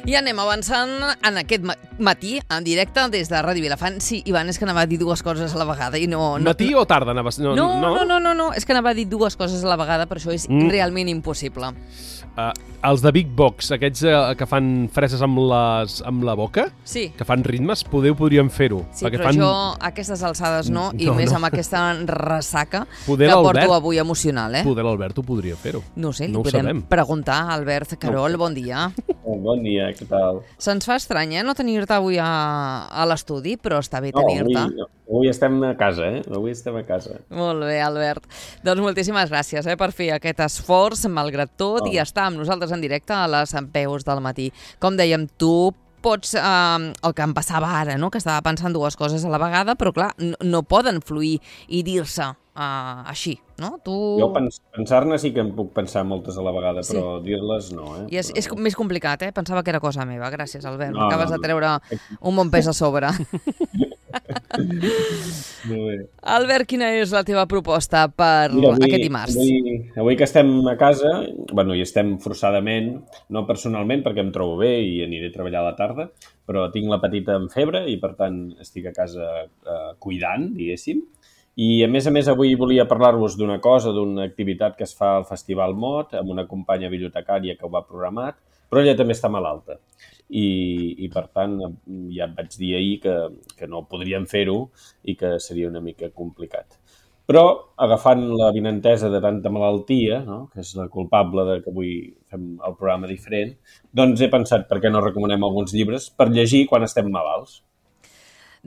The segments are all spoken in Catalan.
I anem avançant en aquest matí, en directe, des de Ràdio Vilafant. Sí, Ivan, és que anava a dir dues coses a la vegada. I no, Matí o tarda? No, és que anava a dir dues coses a la vegada, però això és realment impossible. Els de Big Box, aquests que fan freses amb la boca, sí, que fan ritmes, podríem fer-ho. Sí, però jo a aquestes alçades no, i més amb aquesta ressaca poder que porto avui emocional. Poder l'Albert ho podria fer-ho. No sé, li podem preguntar a Albert Carol, bon dia. Bon dia, què tal? Se'ns fa estrany, no tenir-te avui a l'estudi, però està bé tenir-te. Avui estem a casa, Avui estem a casa. Molt bé, Albert. Doncs moltíssimes gràcies per fer aquest esforç, malgrat tot, i estar amb nosaltres en directe a les veus del matí. Com dèiem, tu pots, el que em passava ara, no? Que estava pensant dues coses a la vegada, però clar, no poden fluir i dir-se així, no? Jo pensar-ne sí que em puc pensar moltes a la vegada, però dir-les no, I és més complicat, Pensava que era cosa meva. Gràcies, Albert. M'acabes de treure un bon pes a sobre. Molt bé. Albert, quina és la teva proposta per aquest dimarts? Avui que estem a casa, i estem forçadament, no personalment perquè em trobo bé i aniré a treballar a la tarda, però tinc la petita amb febre i per tant estic a casa cuidant, diguéssim. I a més avui volia parlar-vos d'una cosa, d'una activitat que es fa al Festival Mot, amb una companya bibliotecària que ho va programat, però ella també està malalta. I per tant, ja et vaig dir ahir que no podríem fer-ho i que seria una mica complicat. Però, agafant la vinentesa de tanta malaltia, no?, que és la culpable de que avui fem el programa diferent, doncs he pensat per què no recomanem alguns llibres per llegir quan estem malalts.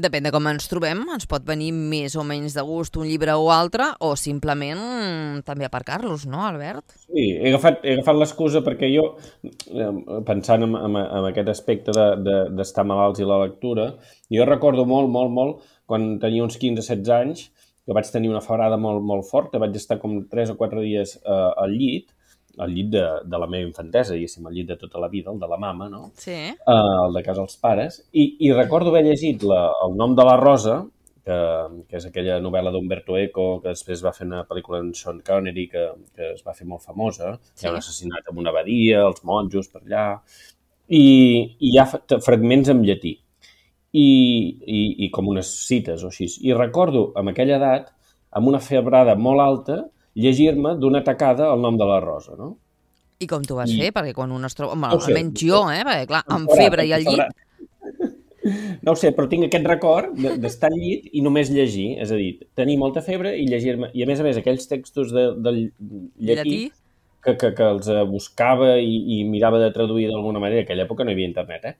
Depèn de com ens trobem, ens pot venir més o menys de gust un llibre o altre, o simplement també aparcar-los, no, Albert? Sí, he agafat l'excusa perquè jo, pensant en aquest aspecte d'estar malalts i la lectura, jo recordo molt, quan tenia uns 15-16 anys, que vaig tenir una febrada molt forta, vaig estar com 3 o 4 dies al llit de la meva infantesa, diguéssim, el llit de tota la vida, el de la mama, no? Sí. El de casa dels pares. I recordo haver llegit El nom de la Rosa, que és aquella novel·la d'Umberto Eco, que després va fer una pel·lícula amb Sean Connery, que es va fer molt famosa. Sí. Hi ha un assassinat en una abadia, els monjos per allà, i hi ha fragments en llatí. I com unes cites o així. I recordo, amb aquella edat, amb una febrada molt alta, llegir-me d'una tacada El nom de la Rosa, no? I com t'ho vas fer? Perquè quan un es troba... almenys jo, perquè clar, amb febre i al llit... No ho sé, però tinc aquest record d'estar al llit i només llegir, és a dir, tenir molta febre i llegir-me... I a més, aquells textos del llatí que els buscava i mirava de traduir d'alguna manera. En aquella època no hi havia internet,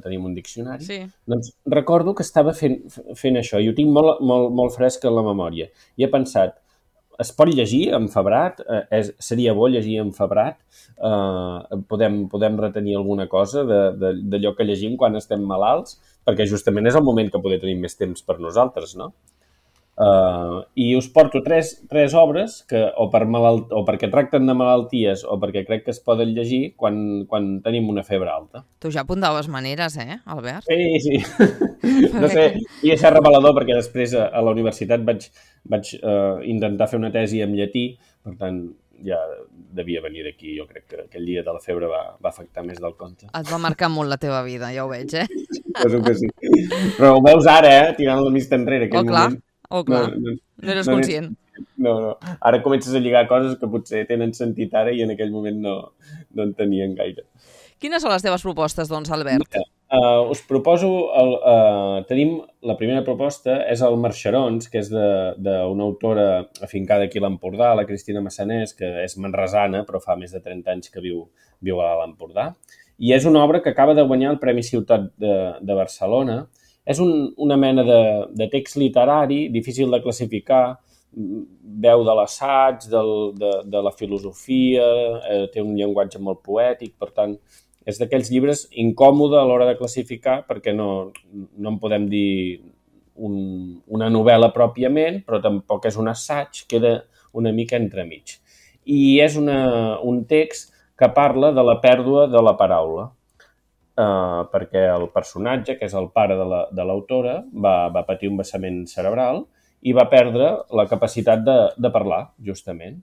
tenim un diccionari. Sí. Doncs recordo que estava fent això i ho tinc molt fresc en la memòria. I he pensat, es pot llegir enfebrat? Seria bo llegir enfebrat? Podem retenir alguna cosa d'allò que llegim quan estem malalts? Perquè justament és el moment que poder tenir més temps per nosaltres, no? I us porto tres obres que o perquè tracten de malalties o perquè crec que es poden llegir quan tenim una febre alta. Tu ja apuntaves maneres, Albert? Sí. No sé, i és revelador perquè després a la universitat vaig intentar fer una tesi en llatí, per tant ja devia venir d'aquí. Jo crec que aquell dia de la febre va afectar més del compte. Et va marcar molt la teva vida, ja ho veig, Penso que sí. Però ho veus ara, tirant la vista enrere, aquell moment. Clar, no eres conscient. No. Ara comences a lligar coses que potser tenen sentit ara i en aquell moment no en tenien gaire. Quines són les teves propostes, doncs, Albert? Us proposo... tenim la primera proposta, és el Marxerons, que és d'una autora afincada aquí a l'Empordà, la Cristina Massanés, que és manresana, però fa més de 30 anys que viu a l'Empordà. I és una obra que acaba de guanyar el Premi Ciutat de Barcelona. És una mena de text literari, difícil de classificar, veu de l'assaig, de la filosofia, té un llenguatge molt poètic, per tant, és d'aquells llibres incòmode a l'hora de classificar perquè no en podem dir una novel·la pròpiament, però tampoc és un assaig, queda una mica entremig. I és un text que parla de la pèrdua de la paraula. Perquè el personatge, que és el pare de l'autora, va patir un vessament cerebral i va perdre la capacitat de parlar, justament.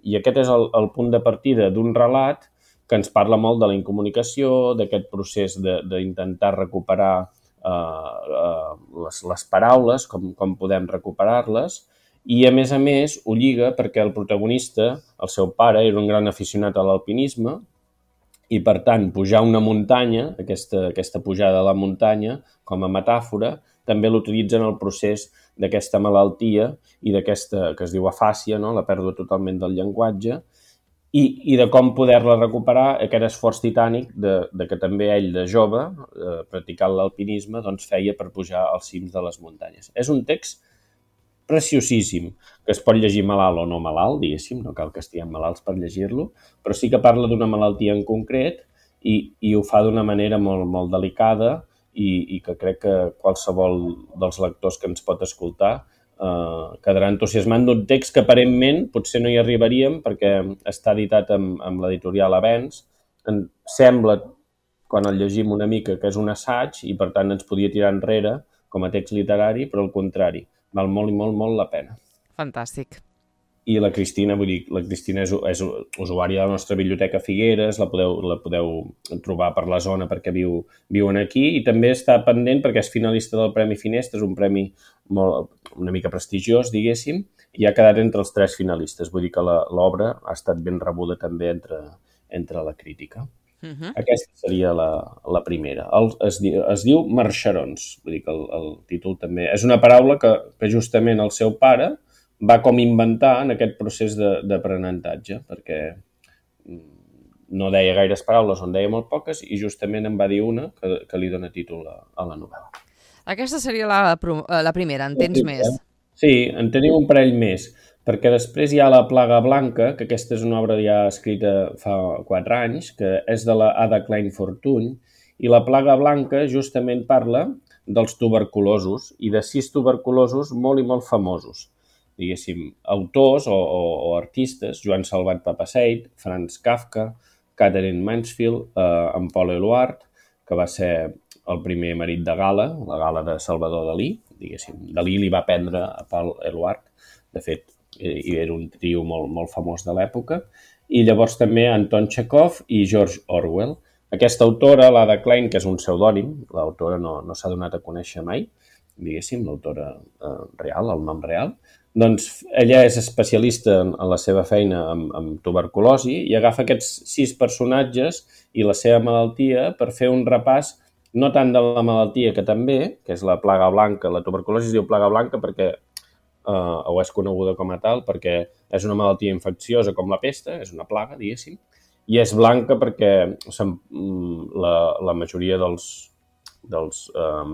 I aquest és el punt de partida d'un relat que ens parla molt de la incomunicació, d'aquest procés d'intentar recuperar les paraules, com podem recuperar-les, i a més, ho lliga perquè el protagonista, el seu pare, era un gran aficionat a l'alpinisme i, per tant, pujar una muntanya, aquesta pujada a la muntanya, com a metàfora, també l'utilitza en el procés d'aquesta malaltia i d'aquesta, que es diu afàsia, no? La pèrdua totalment del llenguatge, i de com poder-la recuperar, aquest esforç titànic de que també ell, de jove, practicant l'alpinisme, doncs feia per pujar als cims de les muntanyes. És un text preciosíssim, que es pot llegir malalt o no malalt, diguéssim, no cal que estiguem malalts per llegir-lo, però sí que parla d'una malaltia en concret i ho fa d'una manera molt, molt delicada i que crec que qualsevol dels lectors que ens pot escoltar quedarà entusiasmant d'un text que aparentment potser no hi arribaríem perquè està editat amb l'editorial Avenç. Sembla, quan el llegim una mica, que és un assaig i per tant ens podia tirar enrere com a text literari, però al contrari, val molt i molt, molt la pena. Fantàstic. I la Cristina, vull dir, la Cristina és usuària de la nostra biblioteca Figueres, la podeu trobar per la zona perquè viuen aquí, i també està pendent perquè és finalista del Premi Finestres, un premi una mica prestigiós, diguéssim, i ha quedat entre els 3 finalistes. Vull dir que l'obra ha estat ben rebuda també entre la crítica. Aquesta seria la primera. Es diu marxarons, vull dir que el títol també... És una paraula que justament el seu pare va com inventar en aquest procés d'aprenentatge, perquè no deia gaires paraules, on deia molt poques, i justament en va dir una que li dona títol a la novel·la. Aquesta seria la primera, en tens més? Sí, en tenim un parell més, perquè després hi ha La plaga blanca, que aquesta és una obra ja escrita fa 4 anys, que és de la Ada Klein Fortuny, i La plaga blanca justament parla dels tuberculosos i de 6 tuberculosos molt i molt famosos. Diguéssim, autors o artistes, Joan Salvat Papasseit, Franz Kafka, Catherine Mansfield, en Paul Eluard, que va ser el primer marit de Gala, la Gala de Salvador Dalí, diguéssim. Dalí li va prendre a Paul Eluard, de fet, era un trio molt, molt famós de l'època, i llavors també Anton Chekhov i George Orwell. Aquesta autora, l'Ada Klein, que és un pseudònim, l'autora no s'ha donat a conèixer mai, diguéssim, l'autora real, el nom real, doncs ella és especialista en la seva feina amb tuberculosi i agafa aquests 6 personatges i la seva malaltia per fer un repàs no tant de la malaltia que també, que és la plaga blanca. La tuberculosi es diu plaga blanca perquè, o és coneguda com a tal, perquè és una malaltia infecciosa com la pesta, és una plaga, diguéssim, i és blanca perquè la majoria dels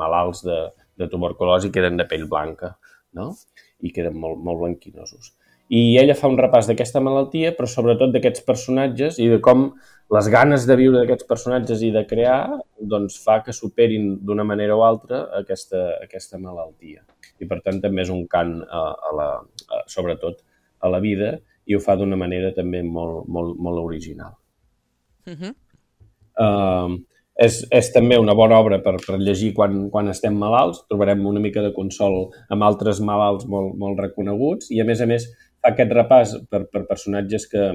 malalts de tuberculosi queden de pell blanca, no? I queden molt, molt blanquinosos. I ella fa un repàs d'aquesta malaltia, però sobretot d'aquests personatges i de com les ganes de viure d'aquests personatges i de crear doncs fa que superin d'una manera o altra aquesta malaltia. I per tant també és un cant sobretot a la vida i ho fa d'una manera també molt, molt, molt original. És també una bona obra per llegir quan estem malalts. Trobarem una mica de consol amb altres malalts molt reconeguts i, a més, fa aquest repàs per personatges que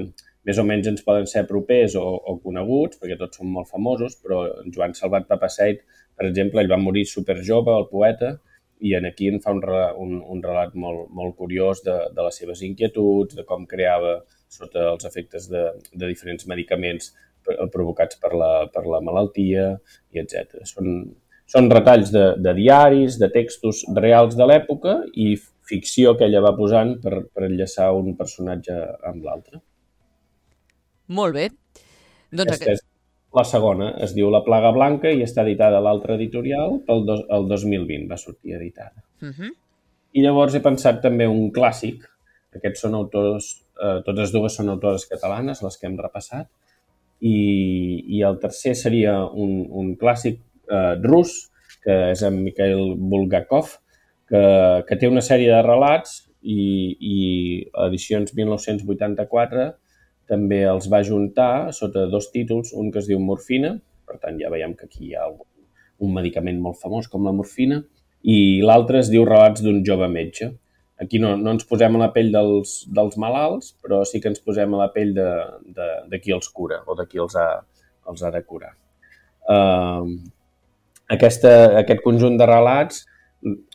més o menys ens poden ser propers o coneguts, perquè tots són molt famosos, però en Joan Salvat Papasseit, per exemple, ell va morir superjove, el poeta, i aquí en fa un relat molt curiós de les seves inquietuds, de com creava sota els efectes de diferents medicaments provocats per la malaltia, i etc. Són retalls de diaris, de textos reals de l'època i ficció que ella va posant per enllaçar un personatge amb l'altre. Molt bé. Aquesta és la segona, es diu La plaga blanca i està editada a l'altre editorial el 2020, va sortir editada. I llavors he pensat també un clàssic. Aquests són autors, totes dues són autores catalanes, les que hem repassat, i el tercer seria un clàssic rus, que és en Mikhail Bulgakov, que té una sèrie de relats i edicions 1984 també els va juntar sota 2 títols, un que es diu Morfina, per tant ja veiem que aquí hi ha un medicament molt famós com la morfina, i l'altre es diu Relats d'un jove metge. Aquí no ens posem a la pell dels malalts, però sí que ens posem a la pell de qui els cura o de qui els ha de curar. Aquest conjunt de relats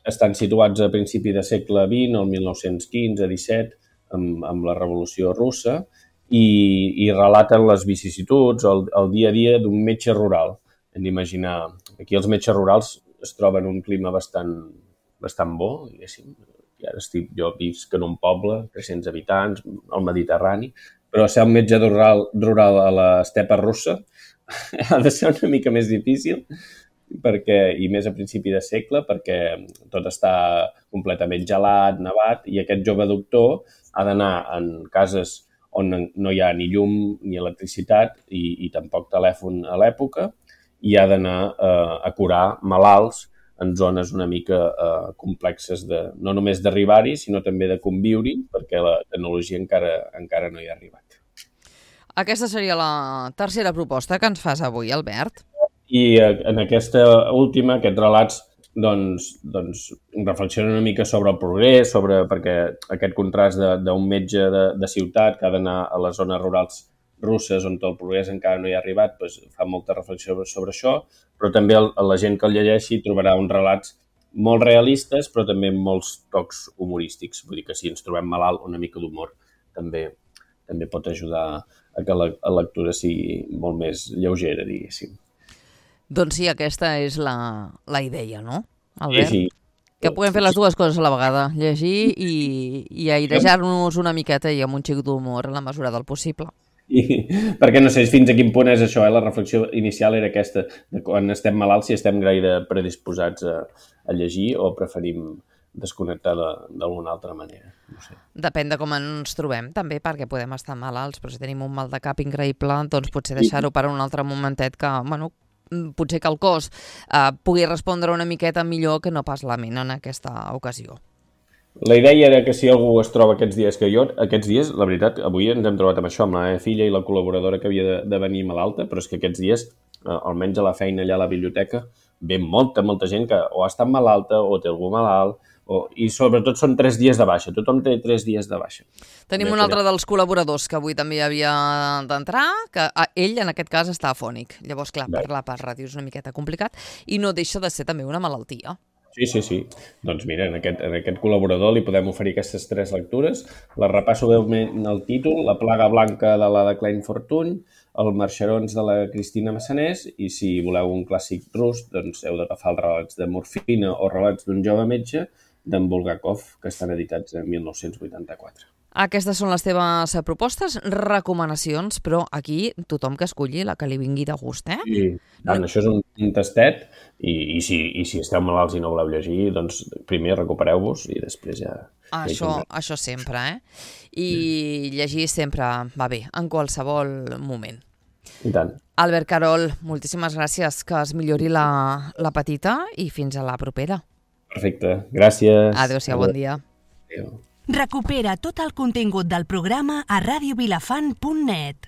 estan situats a principi de segle XX, el 1915-17, amb la Revolució Russa, i relaten les vicissituds, el dia a dia d'un metge rural. Hem d'imaginar, aquí els metges rurals es troben un clima bastant bo, diguéssim. I ara jo visc en un poble, 300 habitants, al Mediterrani, però ser un metge rural a l'estepa russa ha de ser una mica més difícil, i més a principi de segle, perquè tot està completament gelat, nevat, i aquest jove doctor ha d'anar en cases on no hi ha ni llum ni electricitat i tampoc telèfon a l'època, i ha d'anar a curar malalts en zones una mica complexes, no només d'arribar-hi, sinó també de conviure-hi, perquè la tecnologia encara no hi ha arribat. Aquesta seria la tercera proposta que ens fas avui, Albert. I en aquesta última, aquests relats, doncs reflexionen una mica sobre el progrés, perquè aquest contrast d'un metge de ciutat que ha d'anar a les zones rurals russes on el progrés encara no hi ha arribat, doncs fa molta reflexió sobre això, però també la gent que el llegeixi trobarà uns relats molt realistes, però també amb molts tocs humorístics. Vull dir que si ens trobem malalt, una mica d'humor també pot ajudar a que la lectura sigui molt més lleugera, diguéssim. Doncs sí, aquesta és la idea, no, Albert? Sí. Que puguem fer les dues coses a la vegada, llegir i airejar-nos una miqueta i amb un xic d'humor en la mesura del possible. Perquè no sé fins a quin punt és això, la reflexió inicial era aquesta, de quan estem malalts, si estem gaire predisposats a llegir o preferim desconnectar d'alguna altra manera. No sé. Depèn de com ens trobem, també, perquè podem estar malalts, però si tenim un mal de cap increïble, doncs potser deixar-ho per un altre momentet que, potser que el cos pugui respondre una miqueta millor que no pas la ment en aquesta ocasió. La idea era que si algú es troba aquests dies, la veritat, avui ens hem trobat amb això, amb la meva filla i la col·laboradora que havia de venir malalta, però és que aquests dies, almenys a la feina allà a la biblioteca, ve molta gent que o ha estat malalta o té algú malalt, i sobretot són 3 dies de baixa. Tothom té 3 dies de baixa. Tenim un altre dels col·laboradors que avui també havia d'entrar, que ell en aquest cas està afònic. Llavors, clar, parlar per ràdio és una miqueta complicat i no deixa de ser també una malaltia. Sí. Doncs mira, en aquest col·laborador li podem oferir aquestes 3 lectures. Les repasso breument el títol: La plaga blanca de la de Klein Fortuny, El marxarons de la Cristina Massanés, i si voleu un clàssic rus, doncs heu d'agafar els relats de Morfina o relats d'un jove metge d'en Bulgakov, que estan editats en 1984. Aquestes són les teves propostes, recomanacions, però aquí tothom que escolli la que li vingui de gust, eh? Sí, això és un tastet, i si esteu malalts i no voleu llegir, doncs primer recupereu-vos i després ja... Això sempre, eh? I llegir sempre va bé, en qualsevol moment. I tant. Albert Carol, moltíssimes gràcies, que es millori la petita i fins a la propera. Perfecte, gràcies. Adéu-siau, bon dia. Adéu. Recupera tot el contingut del programa a radiovilafant.net.